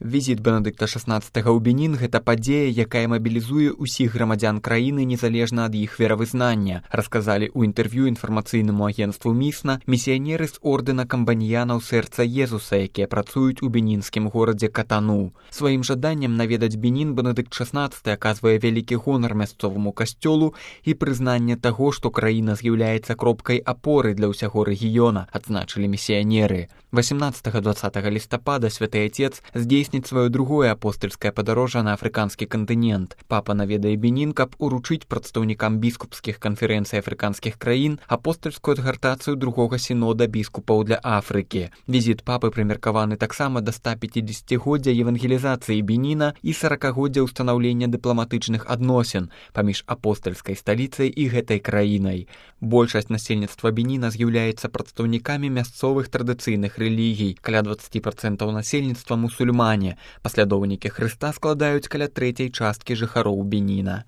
Візіт Бенедыкта XVI ў Бенін – гэта падзея, якая мабілізуе ўсіх грамадзян краіны незалежна ад іх веравызнання, расказалі ў інтэрв'ю інфармацыйнаму агенцтву МІСНА місіянеры з ордэна камбаніянаў сэрца Езуса, якія працуюць у бенінскім горадзе Катану. Сваім жаданнем наведаць Бенін Бенедыкт XVI аказвае вялікі гонар мясцоваму касцёлу і прызнанне таго, што краіна з'яўляецца кропкай апоры для ўсяго рэгіёна, адзначылі місіянеры. 18-20 лістапада святы Отец здзейсніць сваё другое апостальскае падарожжа на афрыканскі кантынент. Папа наведае Бенін, каб уручыць прадстаўнікам біскупскіх канферэнцый афрыканскіх краін апостальскую адгартацыю другога сінода біскупаў для Афрыкі. Візіт папы прымеркаваны таксама да 150-годдзя евангелізацыі Беніна і 40-годдзя ўстанаўлення дыпламатычных адносін паміж апостальскай сталіцай і гэтай краінай. Большасць насельніцтва Беніна з'яўляецца прадстаўнікамі мясцовых традыцыйных рэлігій, каля 20% насельніцтва мусульмане. Паслядоўнікі Хрыста складаюць каля трэцяй часткі жыхароў Беніна.